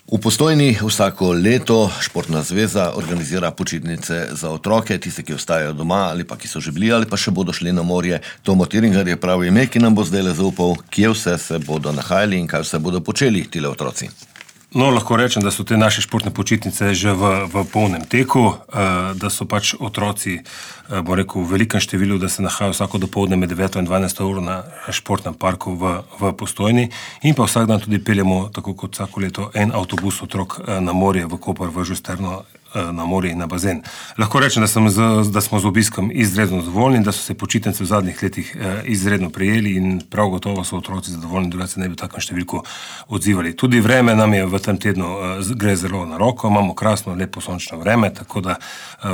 V Postojni vsako leto Športna zveza organizira počitnice za otroke, tiste, ki ostajajo doma ali pa ki so že bili ali pa še bodo šli na morje. Tomo Tiringar je prav ime, ki nam bo zdaj zaupal, kje vse se bodo nahajali in kaj vse bodo počeli tile otroci. No, lahko rečem, da so te naše športne počitnice že v polnem teku, da so pač otroci, bom rekel, v velikem številu, da se nahajajo vsako dopoldne med 9 in 12 uro na športnem parku v Postojni in pa vsak dan tudi peljemo, tako kot vsako leto, en avtobus otrok na morje, v Koper, v Žusterno, na morje in na bazen. Lahko rečem, da smo z obiskom izredno zadovoljni, da so se počitnice v zadnjih letih izredno prijeli in prav gotovo so otroci zadovoljni, drugače ne bi v takem številku odzivali. Tudi vreme nam je v tem tednu gre zelo na roko, imamo krasno, lepo sončno vreme, tako da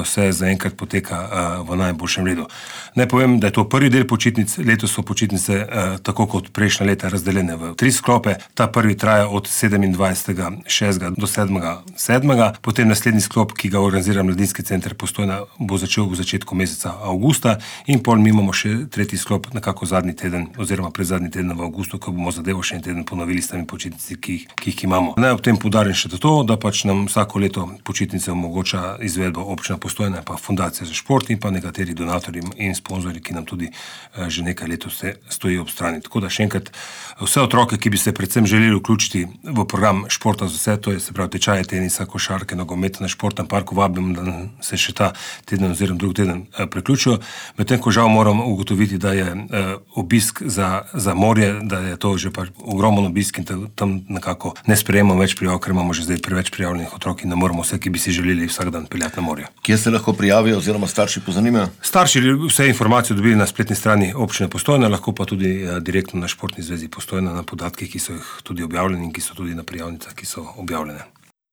vse zaenkrat poteka v najboljšem redu. Naj povem, da je to prvi del počitnic, letos so počitnice tako kot prejšnja leta razdeljene v 3 sklope. Ta prvi traja od 27.6. do 7.7. Potem naslednji sklop, ki ga organizira Mladinski center Postojna, bo začel v začetku meseca avgusta in pol mi imamo še tretji sklop, nekako zadnji teden oziroma predzadnji teden v avgustu, ko bomo zadevo še en teden ponovili s temi počitnici, ki jih imamo. Naj ob tem poudarim še to, da pač nam vsako leto počitnice omogoča izvedbo občina Postojna, pa Fundacija za šport in pa nekateri donatorji in sponzorji, ki nam tudi že nekaj let stojijo ob strani. Tako da še enkrat vse otroke, ki bi se predvsem želeli vključiti v program Športa za vse, to je se pravi tečaje tenisa, košarke, nogometa na Športnem parku, vabim, da se še ta teden oziroma drugi teden priključijo. Medtem ko žal moram ugotoviti, da je obisk za morje, da je to že pač ogromen obisk in tam nekako ne sprejemamo več prijav, ker imamo že zdaj preveč prijavljenih otrok in ne moramo vse, ki bi si želeli vsak dan peljati na morje. Kje se lahko prijavijo oziroma starši pozanimajo? Starši vse informacije dobili na spletni strani občine Postojna, lahko pa tudi direktno na Športni zvezi Postojna na podatke, ki so jih tudi objavljeni in ki so tudi na prijavnicah, ki so objavljene.